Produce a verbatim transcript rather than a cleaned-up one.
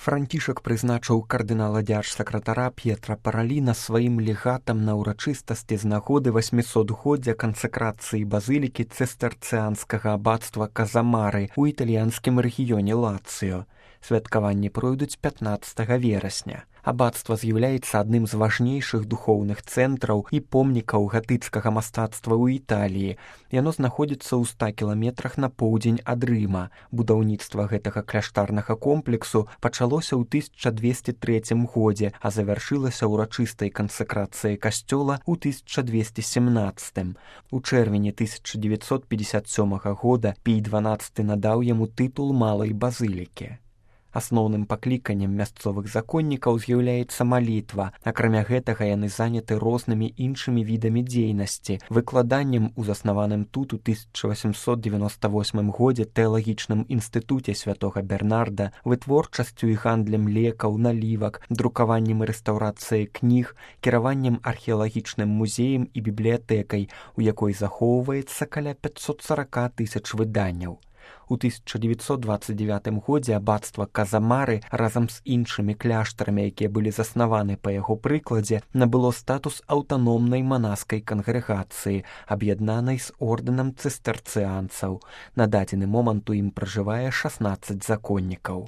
Францішак прызначыў кардынала дзяржсакратара П'етра Параліна сваім легатам на ўрачыстасці з нагоды васьмісотгоддзя кансакрацыі базылікі цыстарцыанскага абацтва Казамары ў італьянскім рэгіёне Лацыё. Святкаванні пройдуць пятнаццатага верасня. Абацтва з'яўляецца адным з важнейшых духоўных цэнтраў і помнікаў гатыцкага мастацтва ў Італіі. Яно знаходзіцца ў ста кіламетрах на поўдзень ад Рыма. Будаўніцтва гэтага кляштарнага комплексу пачалося ў тысяча двесце трэцім годзе, а завяршылася ўрачыстай кансакрацыяй касцёла ў тысяча двесце сямнаццатым. У чэрвені тысяча дзевяцьсот пятьдесят сёмага года Пій дванаццаты надаў яму тытул малай базылікі. Асноўным пакліканнем мясцовых законнікаў з'яўляецца малітва. Акрамя гэтага яны заняты рознымі іншымі відамі дзейнасці, выкладаннем у заснаваным тут у тысяча васьмісот дзевяноста восьмым годзе тэалагічным інстытуце святога Бернарда, вытворчасцю і гандлем лекаў, налівак, друкаваннем і рэстаўрацыяй кніг, кіраваннем археалагічным музеем і бібліятэкай, у якой захоўваецца каля пятьсот сорок тысяч выданняў. У тысяча дзевяцьсот дваццаць дзевятым годзе абацтва Казамары разам з іншымі кляштарамі, якія былі заснаваны па яго прыкладзе, набыло статус аўтаномнай манаскай кангрэгацыі, аб'яднанай з ордэнам цыстарцыанцаў. На дадзены момант у ім пражывае шаснаццаць законнікаў.